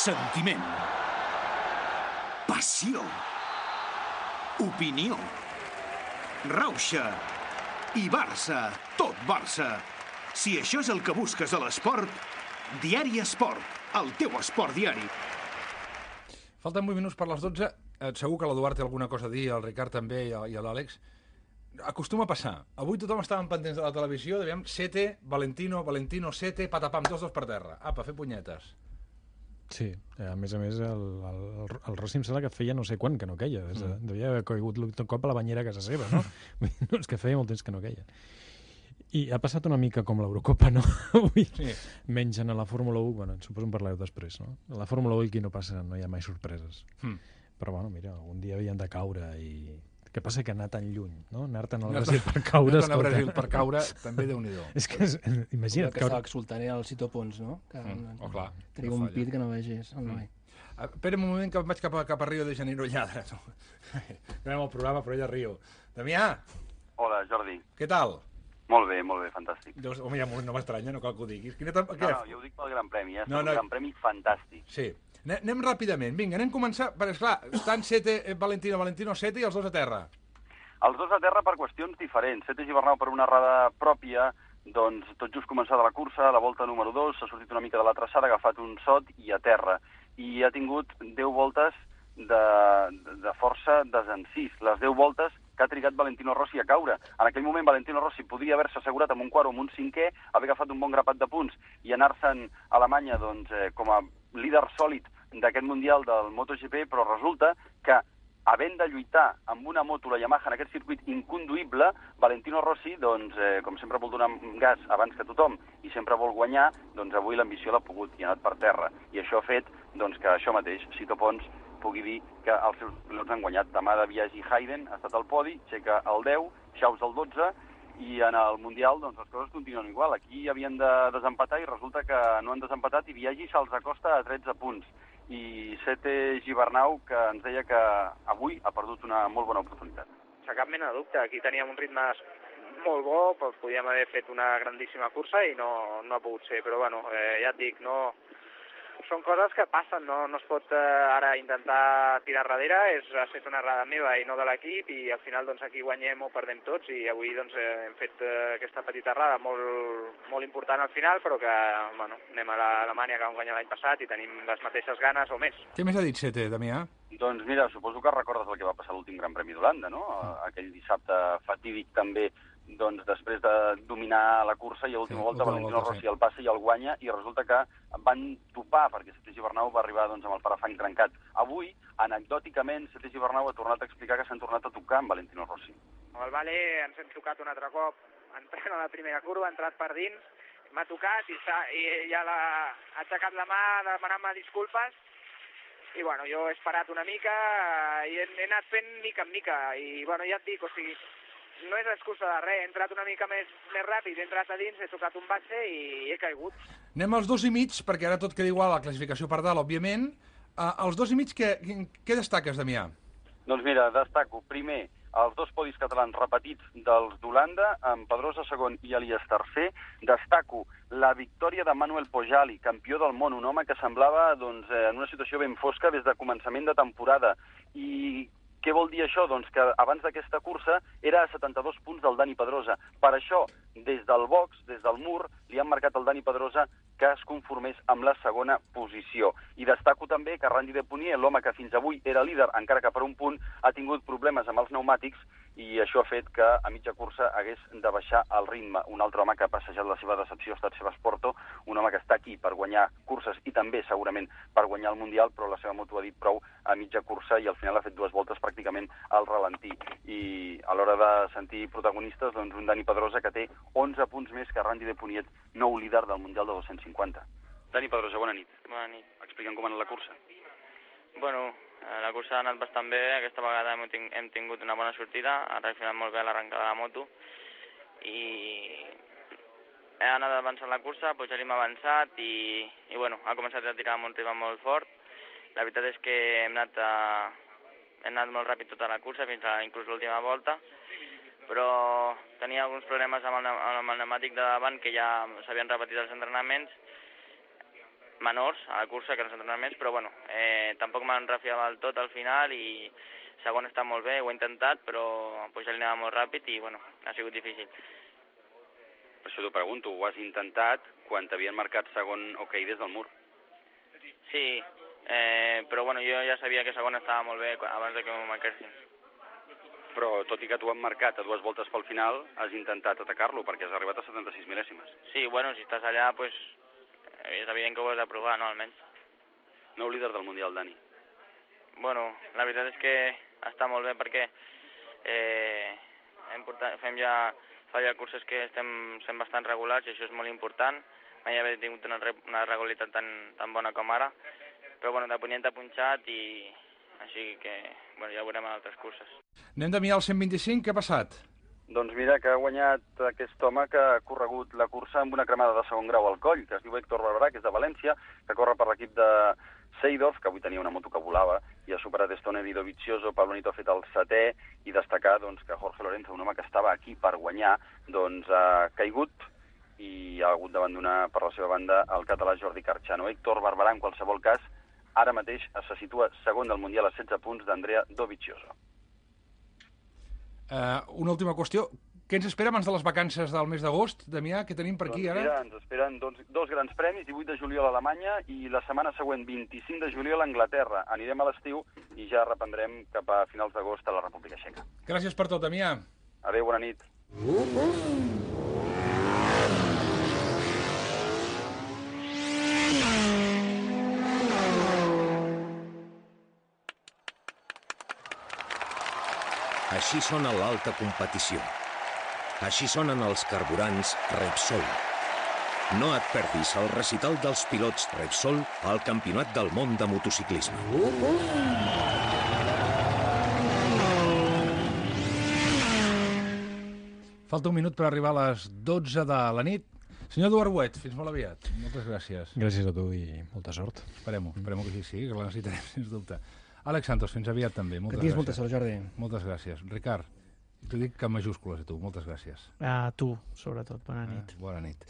Sentiment. Passió. Opinió. Rauxa. I Barça. Tot Barça. Si això és el que busques a l'esport, Diari Esport, el teu esport diari. Falten 8 minuts per les 12. Segur que l'Eduard té alguna cosa a dir, el Ricard també i l'Àlex. Acostuma a passar. Avui tothom estava pendents de la televisió, dèiem Sete, Valentino, Sete, patapam, tots dos per terra. Apa, fer punyetes. Sí, a més, el Rossi em sembla que feia no sé quan que no queia. Devia haver caigut un cop a la banyera a casa seva, no? És que feia molt temps que no queia. I ha passat una mica com l'Eurocopa, no? Avui, sí. Menys en la Fórmula 1, bueno, suposo en parlareu després, no? A la Fórmula 1 aquí no hi ha mai sorpreses. Però, bueno, mira, algun dia havien de caure i... Què passa que anar tan lluny, no? Anar-te'n al Brasil per caure... Anar-te'n al Brasil per caure, també Déu-n'hi-do. És que, imagina't... Que estava exultant era el Cito Pons, no? Clar. Tenia un pit que no vegis, el noi. Espera un moment que vaig cap a Rio de Janeiro lladre. Anem al programa, però ella Rio. Damià! Hola, Jordi. Què tal? Molt bé, fantàstic. Home, ja no m'estranya, no cal que ho diguis. No, jo ho dic pel Gran Premi, un Gran Premi fantàstic. Sí. Anem ràpidament. Vinga, anem a començar, perquè, esclar, estan Sete, Valentino, Sete i els dos a terra. Els dos a terra per qüestions diferents. Sete Gibernau per una errada pròpia, doncs tot just començada la cursa, la volta número 2, s'ha sortit una mica de la traçada, ha agafat un sot i a terra. I ha tingut 10 voltes de força desencís. Les 10 voltes que ha trigat Valentino Rossi a caure. En aquell moment Valentino Rossi podria haver-se assegurat amb un quart o amb un cinquè, haver agafat un bon grapat de punts i anar-se'n a Alemanya com a líder sòlid d'aquest Mundial del MotoGP, però resulta que havent de lluitar amb una moto, la Yamaha, en aquest circuit inconduïble, Valentino Rossi, com sempre vol donar gas abans que tothom i sempre vol guanyar, doncs avui l'ambició l'ha pogut i ha anat per terra. I això ha fet que això mateix, Sito Pons, pugui dir que els seus pilots han guanyat. Demà de Biaggi Hayden ha estat al podi, Checa el 10, Chaus el 12, i en el Mundial les coses continuen igual. Aquí havien de desempatar i resulta que no han desempatat i Biaggi se'ls acosta a 13 punts. I Sete Gibernau, que ens deia que avui ha perdut una molt bona oportunitat. Sense cap mena de dubte, aquí teníem un ritme molt bo, podíem haver fet una grandíssima cursa i no ha pogut ser, però bueno, ja et dic, són coses que passen, no es pot ara intentar tirar darrere, ha estat una errada meva i no de l'equip i al final aquí guanyem o perdem tots i avui hem fet aquesta petita errada molt important al final, però que anem a l'Alemanya que vam guanyar l'any passat i tenim les mateixes ganes o més. Què més ha dit Sete, Damià? Doncs mira, suposo que recordes el que va passar a l'últim Gran Premi d'Holanda, no? Aquell dissabte fatídic també, després de dominar la cursa i a l'última volta Valentino Rossi el passa i el guanya i resulta que van topar perquè Sete Gibernau va arribar amb el parafang trencat. Avui, anecdòticament, Sete Gibernau ha tornat a explicar que s'han tornat a tocar amb Valentino Rossi. Amb el Vale ens hem tocat un altre cop entrant a la primera curva, ha entrat per dins, m'ha tocat i ja ha aixecat la mà demanant-me disculpes i jo he esperat una mica i he anat fent mica en mica i ja et dic, no és excusa de res, he entrat una mica més ràpid, he entrat a dins, he tocat un base i he caigut. Anem als 2,5, perquè ara tot queda igual, la classificació per dalt, òbviament. Els 2,5, què destaques, Damià? Doncs mira, destaco, primer, els dos podis catalans repetits dels d'Holanda, amb Pedrosa segon i Elias tercer. Destaco la victòria de Manuel Pojali, campió del món, un home que semblava en una situació ben fosca des de començament de temporada. I què vol dir això? Doncs que abans d'aquesta cursa era a 72 punts del Dani Pedrosa. Per això, des del box, des del mur, li han marcat al Dani Pedrosa que es conformés amb la segona posició. I destaco també que Randy Deponier, l'home que fins avui era líder, encara que per un punt, ha tingut problemes amb els pneumàtics i això ha fet que a mitja cursa hagués de baixar el ritme. Un altre home que ha passejat la seva decepció ha estat Sebas Porto, un home que està aquí per guanyar curses i també segurament per guanyar el Mundial, però la seva moto ha dit prou a mitja cursa i al final ha fet 2 voltes pràcticament al ralentí. I a l'hora de sentir protagonistes, un Dani Pedrosa que té 11 punts més que Randy Deponier, nou líder del Mundial de 250. Dani Pedrosa, bona nit. Bona nit. Explica'm com ha anat la cursa. Bueno, la cursa ha anat bastant bé, aquesta vegada hem tingut una bona sortida, ha reaccionat molt bé l'arrencada de la moto i he anat avançant la cursa, Pujali m'ha avançat i bueno, ha començat a tirar amb un ritme molt fort. La veritat és que hem anat molt ràpid tota la cursa, fins a inclús l'última volta, però tenia alguns problemes amb el pneumàtic de davant que ja s'havien repetit els entrenaments menors a la cursa que els entrenaments, però bueno, tampoc me'n refiava del tot al final i segon està molt bé, ho he intentat, però pujar li anava molt ràpid i bueno, ha sigut difícil. Per això t'ho pregunto, ho has intentat quan t'havien marcat segon hoquei des del mur? Sí, però bueno, jo ja sabia que segon estava molt bé abans de que m'ho marquessin. Però tot i que t'ho han marcat a 2 voltes pel final, has intentat atacar-lo perquè has arribat a 76 mil·lèsimes. Sí, bueno, si estàs allà, pues, és evident que ho has de provar, no, almenys. Nou líder del Mundial, Dani. Bueno, la veritat és que està molt bé perquè fa ja curses que estem sent bastant regulars i això és molt important. Mai haver tingut una regularitat tan bona com ara, però bueno, de punt t'ha punxat i així que bueno, ja ho veurem en altres curses. Anem de mirar el 125, què ha passat? Doncs mira que ha guanyat aquest home que ha corregut la cursa amb una cremada de segon grau al coll, que es diu Héctor Barberà, que és de València, que corre per l'equip de Seidorf, que avui tenia una moto que volava, i ha superat Stoner i Dovizioso. Pablo Nito ha fet el 7è, i destacar doncs, que Jorge Lorenzo, un home que estava aquí per guanyar, doncs ha caigut i ha hagut d'abandonar per la seva banda el català Jordi Carchano. Héctor Barberà, en qualsevol cas, ara mateix se situa segon del Mundial a 16 punts d'Andrea Dovizioso. Una última qüestió. Què ens espera abans de les vacances del mes d'agost, Damià? Què tenim per aquí ara? Mira, ens esperen dos grans premis, 18 de juliol a Alemanya i la setmana següent, 25 de juliol a Anglaterra. Anirem a l'estiu i ja reprendrem cap a finals d'agost a la República Txeca. Gràcies per tot, Damià. Adéu, bona nit. Així sona l'alta competició. Així sonen els carburants Repsol. No et perdis el recital dels pilots Repsol al Campionat del Món de Motociclisme. Falta un minut per arribar a les 12 de la nit. Senyor Eduard Huet, fins molt aviat. Moltes gràcies. Gràcies a tu i molta sort. Esperem que sí, que la necessitarem, sens dubte. Àlex Santos, fins aviat també. Moltes gràcies. molta sort, Jordi. Moltes gràcies. Ricard, t'ho dic que en majúscules a tu. Moltes gràcies. A tu, sobretot. Bona nit. Bona nit.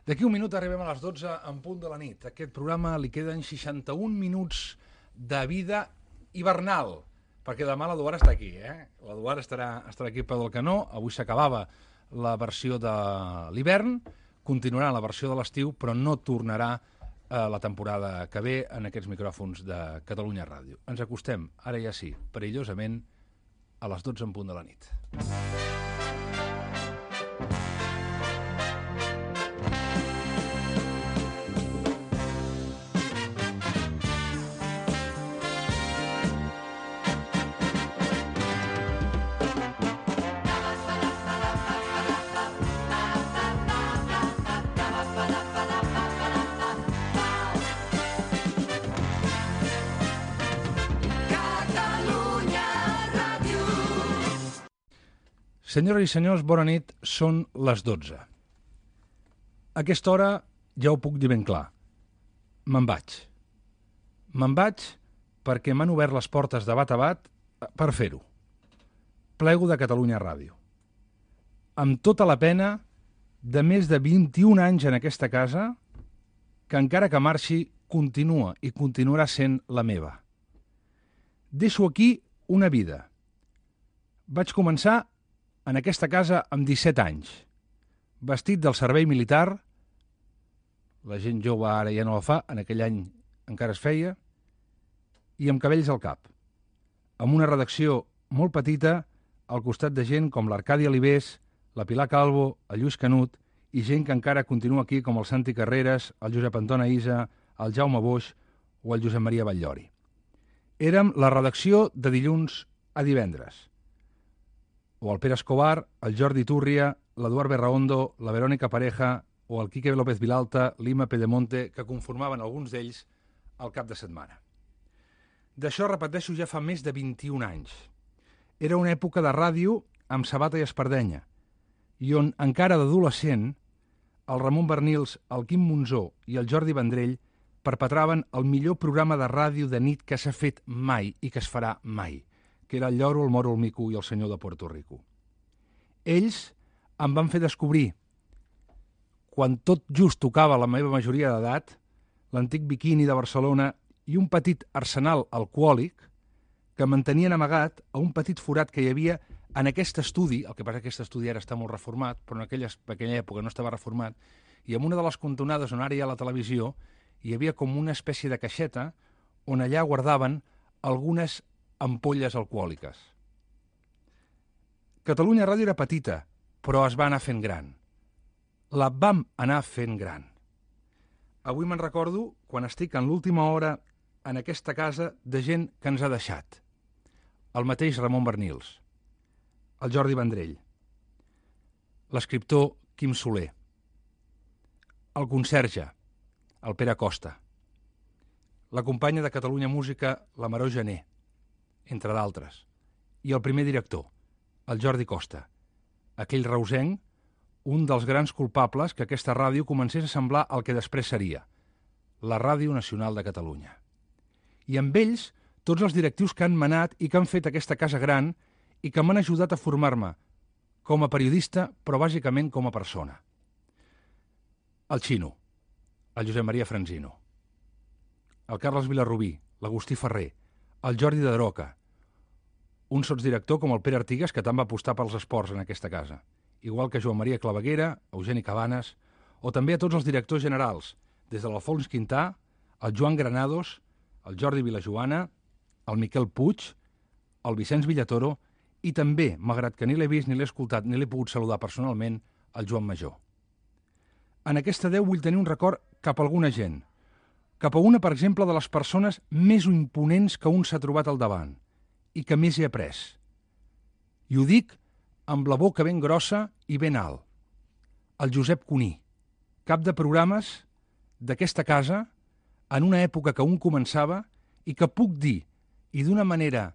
D'aquí un minut arribem a les 12 en punt de la nit. A aquest programa li queden 61 minuts de vida hivernal, perquè demà l'Eduard està aquí, L'Eduard estarà aquí per del canó. Avui s'acabava la versió de l'hivern, continuarà la versió de l'estiu, però no tornarà la temporada que ve en aquests micròfons de Catalunya Ràdio. Ens acostem, ara ja sí, perillosament, a les 12 en punt de la nit. Senyores i senyors, bona nit, són les 12. A aquesta hora ja ho puc dir ben clar. Me'n vaig. Me'n vaig perquè m'han obert les portes de bat a bat per fer-ho. Plego de Catalunya Ràdio. Amb tota la pena de més de 21 anys en aquesta casa, que encara que marxi, continua i continuarà sent la meva. Deixo aquí una vida. Vaig començar en aquesta casa amb 17 anys, vestit del servei militar, la gent jove ara ja no la fa, en aquell any encara es feia, i amb cabells al cap, amb una redacció molt petita al costat de gent com l'Arcadi Alibés, la Pilar Calvo, el Lluís Canut, i gent que encara continua aquí com el Santi Carreras, el Josep Anton Aïsa, el Jaume Boix o el Josep Maria Batllori. Érem la redacció de dilluns a divendres, o el Pere Escobar, el Jordi Túrria, l'Eduard Berraondo, la Verònica Pareja o el Quique López Vilalta, l'Ima Pedemonte, que conformaven alguns d'ells al cap de setmana. D'això, repeteixo, ja fa més de 21 anys. Era una època de ràdio amb sabata i espardenya, i on, encara d'adolescent, el Ramon Bernils, el Quim Monzó i el Jordi Vendrell perpetraven el millor programa de ràdio de nit que s'ha fet mai i que es farà mai, que era el Lloro, el Moro, el Mico i el Senyor de Puerto Rico. Ells em van fer descobrir, quan tot just tocava la meva majoria d'edat, l'antic Biquini de Barcelona i un petit arsenal alcohòlic que mantenien amagat a un petit forat que hi havia en aquest estudi, el que passa que aquest estudi ara està molt reformat, però en aquella època no estava reformat, i en una de les cantonades on ara hi ha la televisió hi havia com una espècie de caixeta on allà guardaven algunes ampolles alcohòliques. Catalunya Ràdio era petita, però es va anar fent gran. La vam anar fent gran. Avui me'n recordo quan estic en l'última hora en aquesta casa de gent que ens ha deixat. El mateix Ramon Bernils, el Jordi Vendrell, l'escriptor Quim Soler, el conserge, el Pere Costa, la companya de Catalunya Música, la Maró Gené, entre d'altres, i el primer director, el Jordi Costa, aquell reusenc, un dels grans culpables que aquesta ràdio comencés a semblar el que després seria, la Ràdio Nacional de Catalunya. I amb ells, tots els directius que han manat i que han fet aquesta casa gran i que m'han ajudat a formar-me com a periodista, però bàsicament com a persona. El Xino, el Josep Maria Franzino, el Carles Vilarrubí, l'Agustí Ferrer, el Jordi de Droca, un sotsdirector com el Pere Artigas, que tant va apostar pels esports en aquesta casa, igual que Joan Maria Claveguera, Eugeni Cabanes, o també a tots els directors generals, des de l'Alfons Quintà, el Joan Granados, el Jordi Vilajoana, el Miquel Puig, el Vicenç Villatoro i també, malgrat que ni l'he vist, ni l'he escoltat, ni l'he pogut saludar personalment, el Joan Major. En aquesta 10 vull tenir un record cap a alguna gent, cap a una, per exemple, de les persones més imponents que un s'ha trobat al davant i que més he après. I ho dic amb la boca ben grossa i ben alt. El Josep Cuní, cap de programes d'aquesta casa en una època que un començava i que puc dir, i d'una manera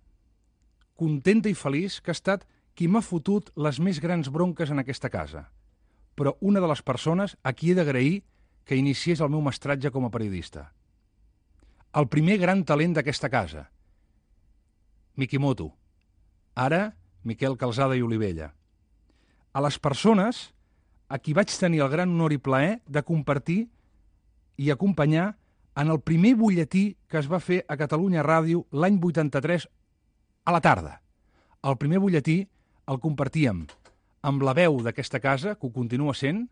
contenta i feliç, que ha estat qui m'ha fotut les més grans bronques en aquesta casa, però una de les persones a qui he d'agrair que iniciés el meu mestratge com a periodista. El primer gran talent d'aquesta casa, Mikimoto, ara Miquel Calzada i Olivella. A les persones a qui vaig tenir el gran honor i plaer de compartir i acompanyar en el primer butlletí que es va fer a Catalunya Ràdio l'any 83 a la tarda. El primer butlletí el compartíem amb la veu d'aquesta casa, que ho continua sent,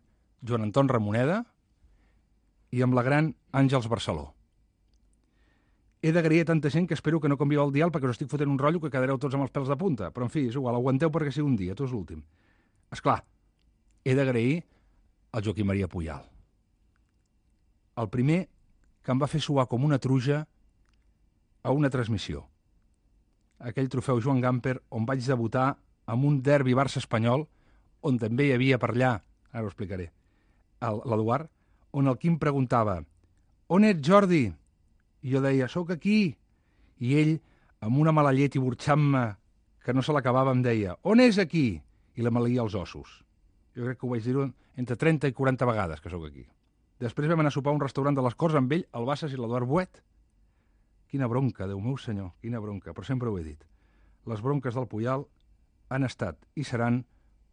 Joan Anton Ramoneda, i amb la gran Àngels Barceló. He d'agrair a tanta gent que espero que no canvieu el dial perquè us estic fotent un rotllo que quedareu tots amb els pèls de punta. Però, en fi, és igual, aguanteu perquè sigui un dia, tot és l'últim. Esclar, he d'agrair al Joaquim Maria Puyal. El primer que em va fer suar com una truja a una transmissió. Aquell trofeu Joan Gamper on vaig debutar amb un derbi Barça espanyol, on també hi havia per allà, ara ho explicaré, l'Eduard, on el Quim preguntava «On ets, Jordi?» I jo deia «Soc aquí». I ell, amb una mala llet i burxant-me que no se l'acabava, em deia «On és aquí?» I la maleïa els ossos. Jo crec que ho vaig dir entre 30 i 40 vegades que sóc aquí. Després vam anar a sopar a un restaurant de les Corts amb ell, el Bassas i l'Eduard Buet. Quina bronca, Déu meu senyor, quina bronca, però sempre ho he dit. Les bronques del Puyal han estat i seran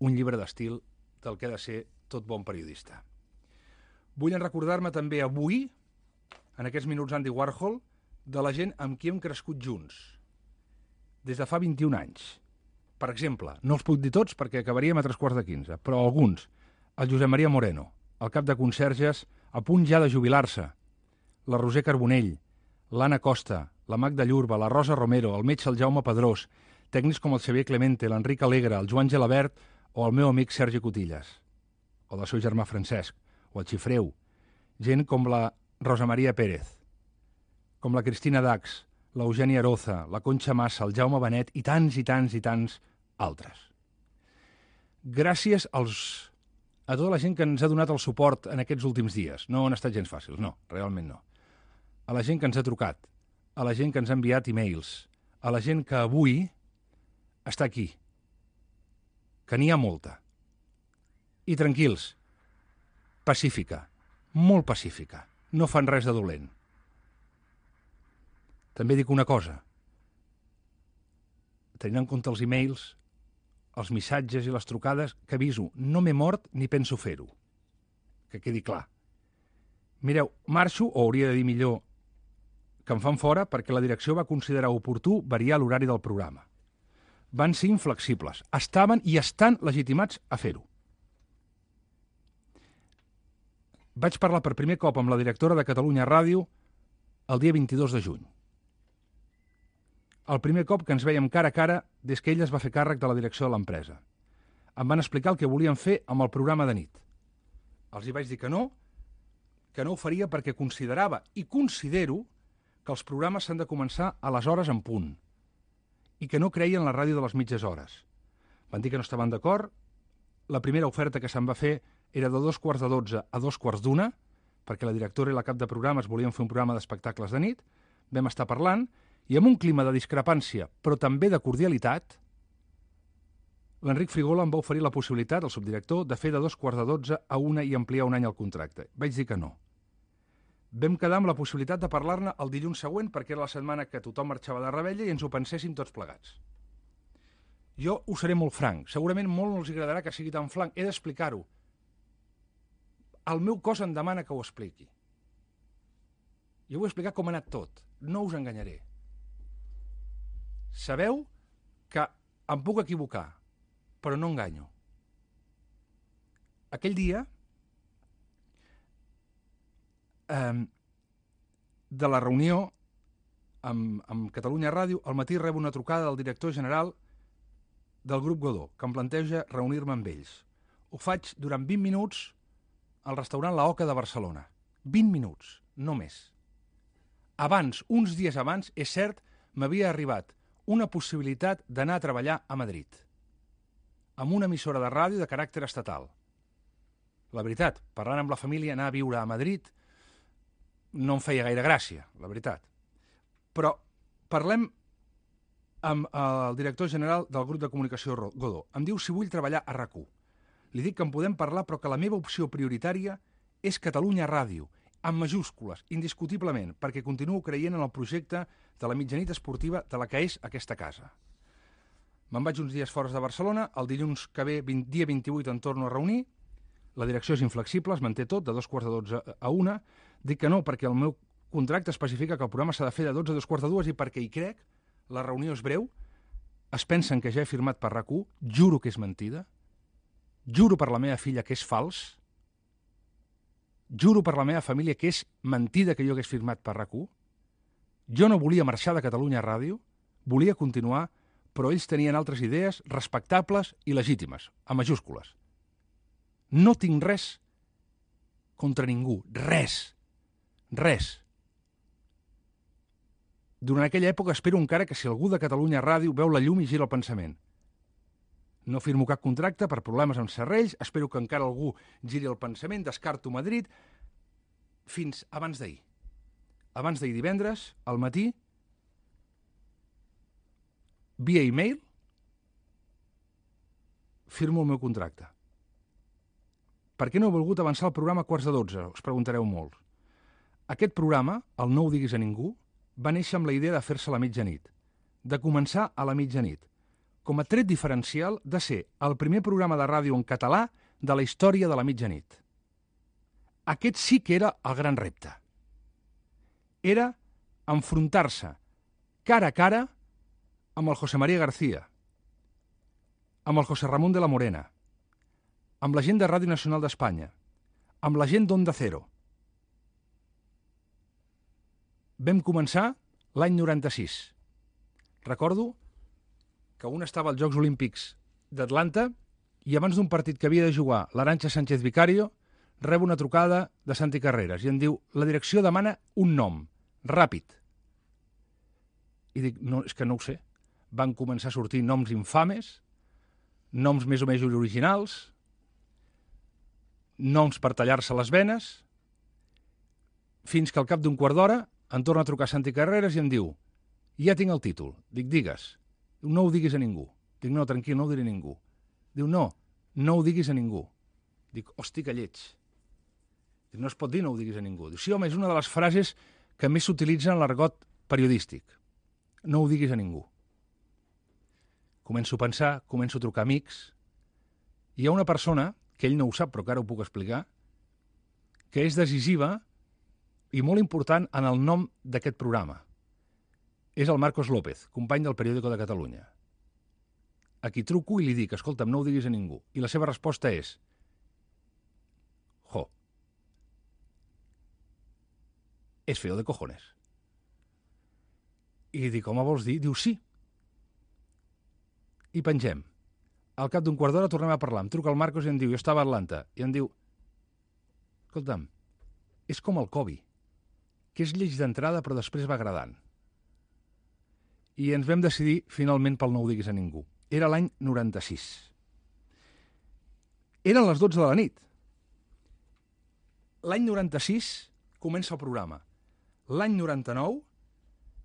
un llibre d'estil del que ha de ser tot bon periodista. Vull recordar-me també avui, en aquests minuts Andy Warhol, de la gent amb qui hem crescut junts, des de fa 21 anys. Per exemple, no els puc dir tots perquè acabaríem a 15:45, però alguns. El Josep Maria Moreno, el cap de conserges, a punt ja de jubilar-se, la Roser Carbonell, l'Anna Costa, la Magda Llurba, la Rosa Romero, el metge el Jaume Pedrós, tècnics com el Xavier Clemente, l'Enric Alegre, el Joan Gelabert o el meu amic Sergi Cotillas, o del seu germà Francesc, o el Xifreu, gent com la Rosa Maria Pérez, com la Cristina Dax, l'Eugènia Aroza, la Conxa Massa, el Jaume Benet i tants i tants i tants altres. Gràcies a tota la gent que ens ha donat el suport en aquests últims dies. No han estat gens fàcils, no, realment no. A la gent que ens ha trucat, a la gent que ens ha enviat e-mails, a la gent que avui està aquí, que n'hi ha molta. I tranquils, pacífica, molt pacífica, no fan res de dolent. També dic una cosa, tenint en compte els e-mails, els missatges i les trucades, que aviso, no m'he mort ni penso fer-ho. Que quedi clar. Mireu, marxo, o hauria de dir millor que em fan fora, perquè la direcció va considerar oportú variar l'horari del programa. Van ser inflexibles. Estaven i estan legitimats a fer-ho. Vaig parlar per primer cop amb la directora de Catalunya Ràdio el dia 22 de juny. El primer cop que ens veiem cara a cara des que ella es va fer càrrec de la direcció de l'empresa. Em van explicar el que volien fer amb el programa de nit. Els hi vaig dir que no ho faria perquè considerava i considero que els programes s'han de començar a les hores en punt i que no creien en la ràdio de les mitges hores. Van dir que no estaven d'acord. La primera oferta que se'n va fer era de 2:45 a 2:45, perquè la directora i la cap de programes volien fer un programa d'espectacles de nit. Vam estar parlant i amb un clima de discrepància, però també de cordialitat, l'Enric Frigola em va oferir la possibilitat, el subdirector, de fer de 2:45 a 1 i ampliar un any el contracte. Vaig dir que no. Vam quedar amb la possibilitat de parlar-ne el dilluns següent, perquè era la setmana que tothom marxava de Rebella i ens ho penséssim tots plegats. Jo ho seré molt franc. Segurament molt no els agradarà que sigui tan franc. He d'explicar-ho. El meu cos em demana que ho expliqui. Jo vull explicar com ha anat tot. No us enganyaré. Sabeu que em puc equivocar, però no enganyo. Aquell dia, de la reunió amb Catalunya Ràdio, al matí rebo una trucada del director general del grup Godó, que em planteja reunir-me amb ells. Ho faig durant 20 minuts al restaurant La Oca de Barcelona. 20 minuts, no més. Abans, uns dies abans, és cert, m'havia arribat una possibilitat d'anar a treballar a Madrid, amb una emissora de ràdio de caràcter estatal. La veritat, parlant amb la família, anar a viure a Madrid no em feia gaire gràcia, la veritat. Però parlem amb el director general del grup de comunicació Godó. Em diu si vull treballar a RAC1. Li dic que en podem parlar, però que la meva opció prioritària és Catalunya Ràdio, amb majúscules, indiscutiblement, perquè continuo creient en el projecte de la mitjanit esportiva de la que és aquesta casa. Me'n vaig uns dies fora de Barcelona, el dilluns que ve, dia 28, em torno a reunir, la direcció és inflexible, es manté tot, de 2:45 a 1, dic que no, perquè el meu contracte especifica que el programa s'ha de fer de 12 a 2:45 i perquè hi crec, la reunió és breu, es pensen que ja he firmat per RAC1, juro que és mentida, juro per la meva filla que és fals, juro per la meva família que és mentida que jo hagués firmat per RAC1, jo no volia marxar de Catalunya Ràdio, volia continuar, però ells tenien altres idees respectables i legítimes, a majúscules. No tinc res contra ningú, res. Durant aquella època espero encara que si algú de Catalunya Ràdio veu la llum i gira el pensament. No firmo cap contracte per problemes amb serrells, espero que encara algú giri el pensament, descarto Madrid, fins abans d'ahir. Abans d'ahir divendres, al matí, via e-mail, firmo el meu contracte. Per què no he volgut avançar el programa a 11:45? Us preguntareu molt. Aquest programa, el No ho diguis a ningú, va néixer amb la idea de fer-se a la mitjanit, de començar a la mitjanit, com a tret diferencial de ser el primer programa de ràdio en català de la història de la mitjanit. Aquest sí que era el gran repte. Era enfrontar-se cara a cara amb el José María García, amb el José Ramón de la Morena, amb la gent de Ràdio Nacional d'Espanya, amb la gent d'Onda Cero. Vam començar l'any 96. Recordo que un estava als Jocs Olímpics d'Atlanta i abans d'un partit que havia de jugar l'Arantxa Sánchez Vicario rebo una trucada de Santi Carreras i em diu, la direcció demana un nom, ràpid. I dic, no, és que no ho sé. Van començar a sortir noms infames, noms més o menys originals, noms per tallar-se les venes, fins que al cap d'un quart d'hora em torna a trucar Santi Carreras i em diu, ja tinc el títol. Dic, digues. No ho diguis a ningú. Dic, no, tranquil, no ho diré a ningú. Diu, no ho diguis a ningú. Dic, hosti, que lleig. Dic, no es pot dir no ho diguis a ningú. Diu, sí, home, és una de les frases que més s'utilitza en l'argot periodístic. No ho diguis a ningú. Començo a pensar, començo a trucar amics. Hi ha una persona, que ell no ho sap, però que ara ho puc explicar, que és decisiva i molt important en el nom d'aquest programa. És el Marcos López, company del Periódico de Catalunya. A qui truco i li dic, escolta'm, no ho diguis a ningú. I la seva resposta és: jo, és feo de cojones. I li dic, home, vols dir? Diu, sí. I pengem. Al cap d'un quart d'hora tornem a parlar. Em truca el Marcos i em diu, jo estava a Atlanta, i em diu, escolta'm, és com el Kobe, que és lleig d'entrada però després va agradant. I ens vam decidir finalment pel no ho diguis a ningú. Era l'any 96. Eren les 12 de la nit. L'any 96 comença el programa. L'any 99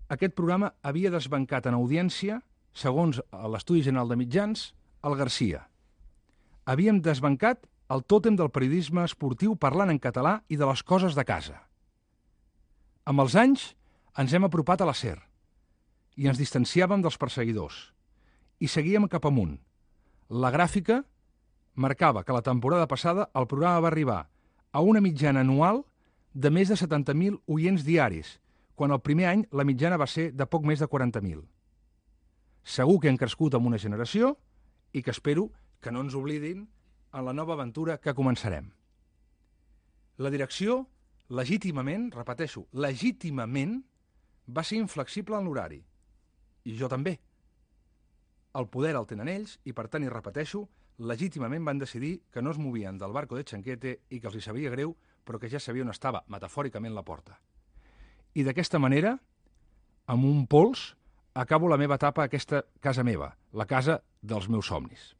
aquest programa havia desbancat en audiència, segons l'Estudi General de Mitjans, el Garcia. Havíem desbancat el tòtem del periodisme esportiu parlant en català i de les coses de casa. Amb els anys ens hem apropat a la SER i ens distanciàvem dels perseguidors i seguíem cap amunt. La gràfica marcava que la temporada passada el programa va arribar a una mitjana anual de més de 70.000 oients diaris, quan el primer any la mitjana va ser de poc més de 40.000. Segur que han crescut amb una generació i que espero que no ens oblidin en la nova aventura que començarem. La direcció, legítimament, repeteixo, legítimament, va ser inflexible en l'horari. I jo també. El poder el tenen ells i, per tant, i repeteixo, legítimament van decidir que no es movien del barco de Chanquete i que els hi sabia greu, però que ja sabia on estava, metafòricament, la porta. I d'aquesta manera, amb un pols, acabo la meva etapa a aquesta casa meva, la casa dels meus somnis.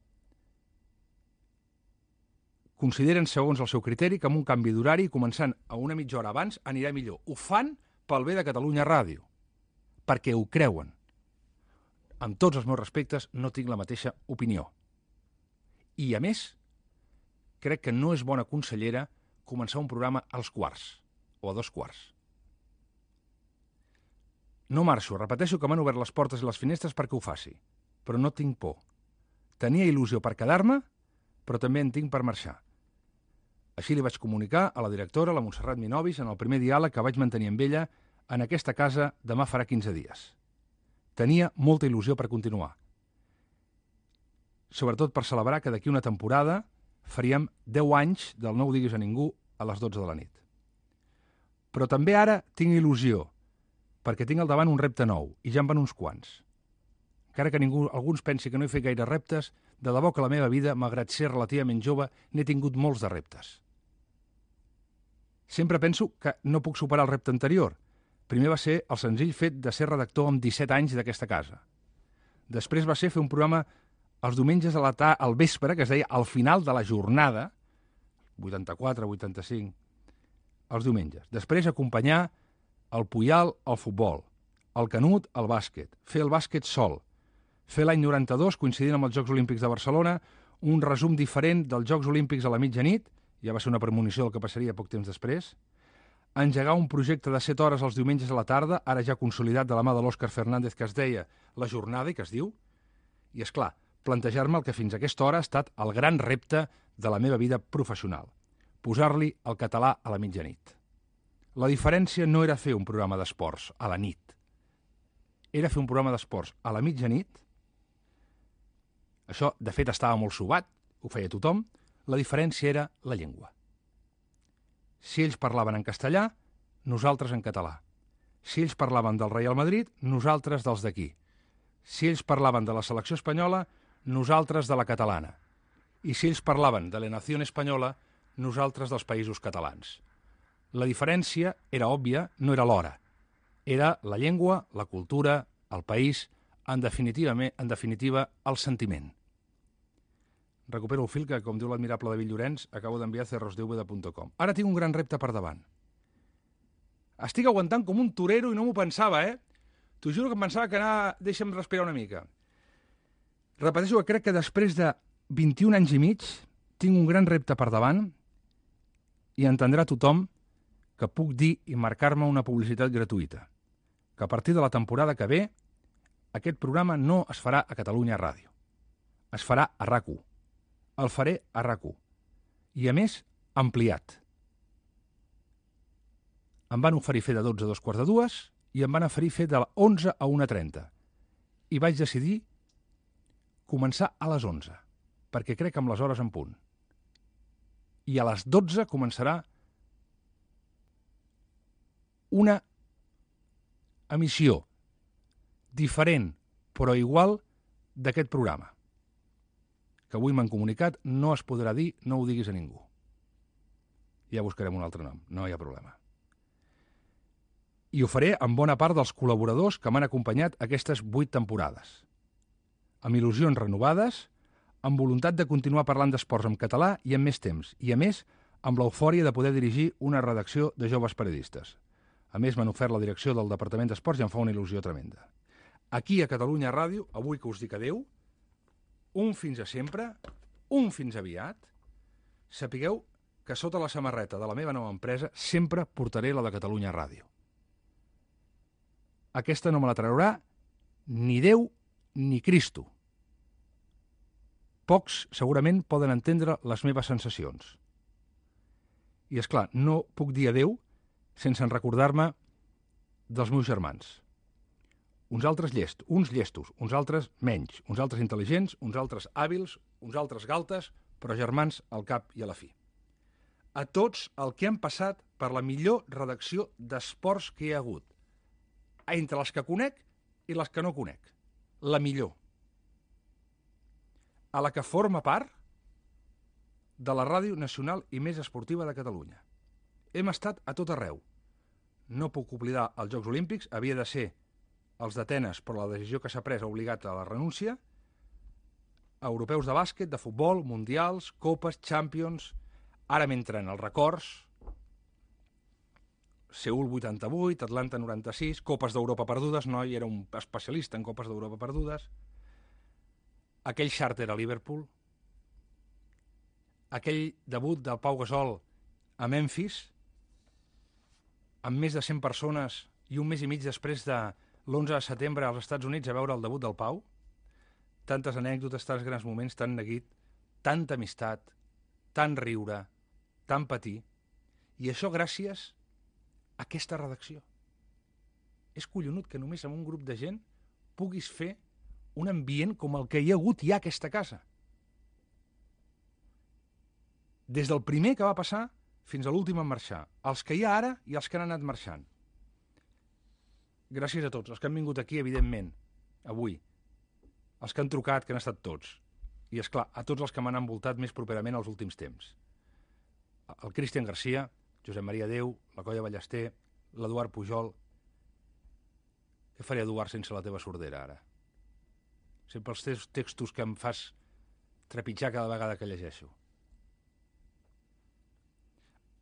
Consideren, segons el seu criteri, que amb un canvi d'horari, començant a una mitja hora abans, anirà millor. Ho fan pel bé de Catalunya Ràdio, perquè ho creuen. Amb tots els meus respectes, no tinc la mateixa opinió. I, a més, crec que no és bona consellera començar un programa als quarts, o a 2:15. No marxo, repeteixo que m'han obert les portes i les finestres perquè ho faci, però no tinc por. Tenia il·lusió per quedar-me, però també en tinc per marxar. Així li vaig comunicar a la directora, la Montserrat Minovis, en el primer diàleg que vaig mantenir amb ella en aquesta casa demà farà 15 dies. Tenia molta il·lusió per continuar. Sobretot per celebrar que d'aquí una temporada faríem 10 anys del No ho diguis a ningú a les 12 de la nit. Però també ara tinc il·lusió, perquè tinc al davant un repte nou, i ja en van uns quants. Encara que alguns pensi que no he fet gaire reptes, de debò que la meva vida, malgrat ser relativament jove, n'he tingut molts de reptes. Sempre penso que no puc superar el repte anterior. Primer va ser el senzill fet de ser redactor amb 17 anys d'aquesta casa. Després va ser fer un programa els diumenges al vespre, que es deia al final de la jornada, 84, 85, els diumenges. Després acompanyar el Puyal al futbol, el Canut al bàsquet, fer el bàsquet sol, fer l'any 92, coincidint amb els Jocs Olímpics de Barcelona, un resum diferent dels Jocs Olímpics a la mitjanit, ja va ser una premonició del que passaria poc temps després, engegar un projecte de 7 hores els diumenges a la tarda, ara ja consolidat de la mà de l'Òscar Fernández, que es deia La Jornada, i que es diu, i és clar, plantejar-me el que fins a aquesta hora ha estat el gran repte de la meva vida professional, posar-li el català a la mitjanit. La diferència no era fer un programa d'esports a la nit, era fer un programa d'esports a la mitjanit. Això, de fet, estava molt sobat, ho feia tothom. La diferència era la llengua. Si ells parlaven en castellà, nosaltres en català. Si ells parlaven del Real Madrid, nosaltres dels d'aquí. Si ells parlaven de la selecció espanyola, nosaltres de la catalana. I si ells parlaven de la nació espanyola, nosaltres dels països catalans. La diferència era òbvia, no era l'hora. Era la llengua, la cultura, el país, en definitiva, el sentiment. Recupero el fil que, com diu l'admirable David Llorenç, acabo d'enviar a cerrosdeuda.com. Ara tinc un gran repte per davant. Estic aguantant com un torero i no m'ho pensava, T'ho juro que em pensava que deixa'm respirar una mica. Repeteixo que crec que després de 21 anys i mig tinc un gran repte per davant i entendrà tothom que puc dir i marcar-me una publicitat gratuïta. Que a partir de la temporada que ve, aquest programa no es farà a Catalunya Ràdio. Es farà a RAC1. El faré a RAC1. I, a més, ampliat. Em van oferir fer de 12 a 2:45 i em van oferir fer de 11 a 1:30. I vaig decidir començar a les 11, perquè crec amb les hores en punt. I a les 12 començarà una emissió diferent, però igual, d'aquest programa, que avui m'han comunicat, no es podrà dir, no ho diguis a ningú. Ja buscarem un altre nom, no hi ha problema. I ho faré amb bona part dels col·laboradors que m'han acompanyat aquestes 8 temporades. Amb il·lusions renovades, amb voluntat de continuar parlant d'esports en català i amb més temps, i a més, amb l'eufòria de poder dirigir una redacció de joves periodistes. A més, m'han ofert la direcció del Departament d'Esports i em fa una il·lusió tremenda. Aquí a Catalunya Ràdio, avui que us dic adeu, un fins a sempre, un fins aviat, sapigueu que sota la samarreta de la meva nova empresa sempre portaré la de Catalunya Ràdio. Aquesta no me la traurà ni Déu ni Cristo. Pocs segurament poden entendre les meves sensacions. I, és clar, no puc dir adeu sense recordar-me dels meus germans. Uns altres uns llestos, uns altres menys, uns altres intel·ligents, uns altres hàbils, uns altres galtes, però germans al cap i a la fi. A tots el que han passat per la millor redacció d'esports que hi ha hagut, entre les que conec i les que no conec. La millor. A la que forma part de la Ràdio Nacional i més esportiva de Catalunya. Hem estat a tot arreu. No puc oblidar els Jocs Olímpics, havia de ser els d'Atenes, però la decisió que s'ha pres ha obligat a la renúncia, europeus de bàsquet, de futbol, mundials, copes, champions, ara m'entren els records, Seül 88, Atlanta 96, copes d'Europa perdudes, no, i era un especialista en copes d'Europa perdudes, aquell xàrter a Liverpool, aquell debut del Pau Gasol a Memphis, amb més de 100 persones i un mes i mig després de l'11 de setembre als Estats Units a veure el debut del Pau, tantes anècdotes, tants grans moments, tant neguit, tanta amistat, tant riure, tant patir, i això gràcies a aquesta redacció. És collonut que només amb un grup de gent puguis fer un ambient com el que hi ha hagut ja a aquesta casa. Des del primer que va passar fins a l'últim en marxar, els que hi ha ara i els que han anat marxant. Gràcies a tots, els que han vingut aquí, evidentment, avui, els que han trucat, que han estat tots, i, és clar, a tots els que m'han envoltat més properament els últims temps. El Cristian Garcia, Josep Maria Déu, la Colla Ballester, l'Eduard Pujol. Què faria, Eduard, sense la teva sordera, ara? Sempre els teus textos que em fas trepitjar cada vegada que llegeixo.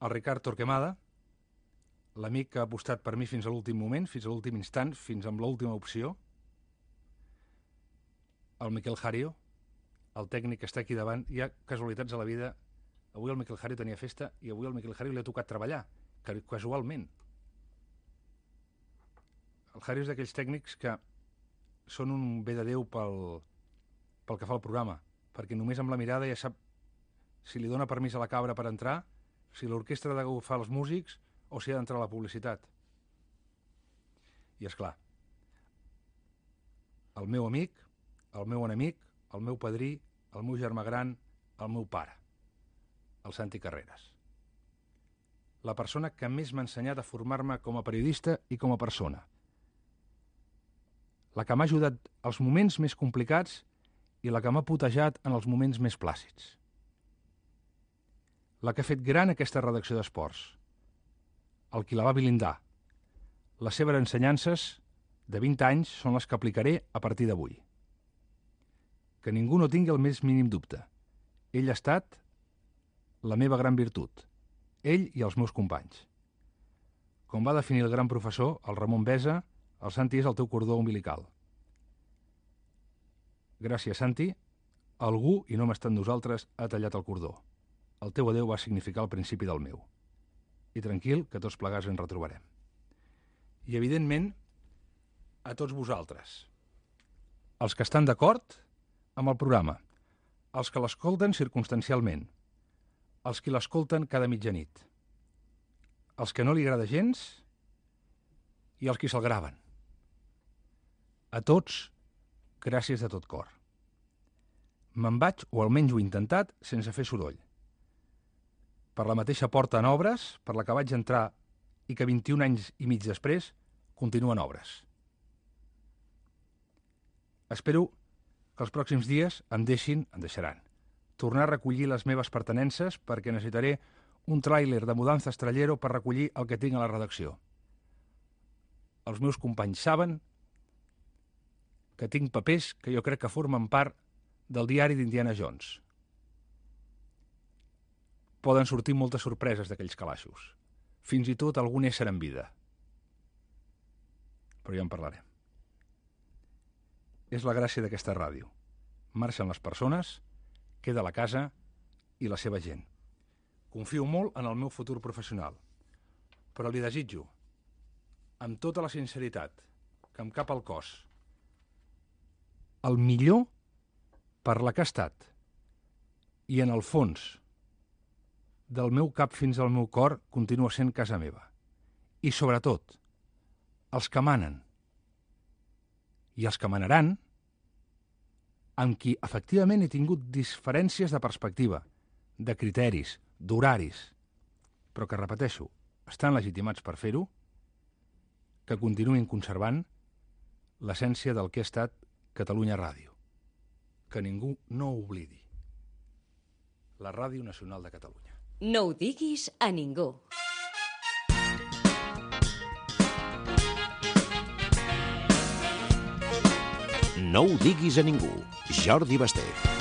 El Ricard Torquemada, l'amic que ha apostat per mi fins a l'últim moment, fins a l'últim instant, fins amb l'última opció. El Miquel Jario, el tècnic que està aquí davant. Hi ha casualitats a la vida. Avui el Miquel Jario tenia festa i avui al Miquel Jario li ha tocat treballar, casualment. El Jario és d'aquells tècnics que són un bé de Déu pel que fa al programa, perquè només amb la mirada ja sap si li dona permís a la cabra per entrar, si l'orquestra ha d'agafar els músics o si ha d'entrar a la publicitat. I, és clar, el meu amic, el meu enemic, el meu padrí, el meu germà gran, el meu pare, el Santi Carreras. La persona que més m'ha ensenyat a formar-me com a periodista i com a persona. La que m'ha ajudat als moments més complicats i la que m'ha putejat en els moments més plàcids. La que ha fet gran aquesta redacció d'esports. El qui la va blindar. Les seves ensenyances de 20 anys són les que aplicaré a partir d'avui. Que ningú no tingui el més mínim dubte. Ell ha estat la meva gran virtut. Ell i els meus companys. Com va definir el gran professor, el Ramon Besa, el Santi és el teu cordó umbilical. Gràcies, Santi. Algú, i no m'està en nosaltres, ha tallat el cordó. El teu adeu va significar el principi del meu. I tranquil, que tots plegats ens retrobarem. I, evidentment, a tots vosaltres. Els que estan d'acord amb el programa. Els que l'escolten circumstancialment. Els que l'escolten cada mitjanit. als que no li agrada gens i als qui se'l graven. A tots, gràcies de tot cor. Me'n vaig, o almenys ho he intentat, sense fer soroll. Per la mateixa porta en obres, per la que vaig entrar i que 21 anys i mig després continuen obres. Espero que els pròxims dies em deixaran, tornar a recollir les meves pertenences perquè necessitaré un tràiler de mudanza estrellero per recollir el que tinc a la redacció. Els meus companys saben que tinc papers que jo crec que formen part del diari d'Indiana Jones. Poden sortir moltes sorpreses d'aquells calaixos, fins i tot algun ésser en vida. Però ja en parlarem. És la gràcia d'aquesta ràdio. Marxen les persones, queda la casa i la seva gent. Confio molt en el meu futur professional, però li desitjo, amb tota la sinceritat que em cap al cos, el millor per la que ha estat i en el fons del meu cap fins al meu cor continua sent casa meva. I sobretot, els que manen i els que manaran, amb qui efectivament he tingut diferències de perspectiva, de criteris, d'horaris, però que, repeteixo, estan legitimats per fer-ho, que continuïn conservant l'essència del que ha estat Catalunya Ràdio. Que ningú no ho oblidi. La Ràdio Nacional de Catalunya. No ho diguis a ningú. No ho diguis a ningú. Jordi Basté.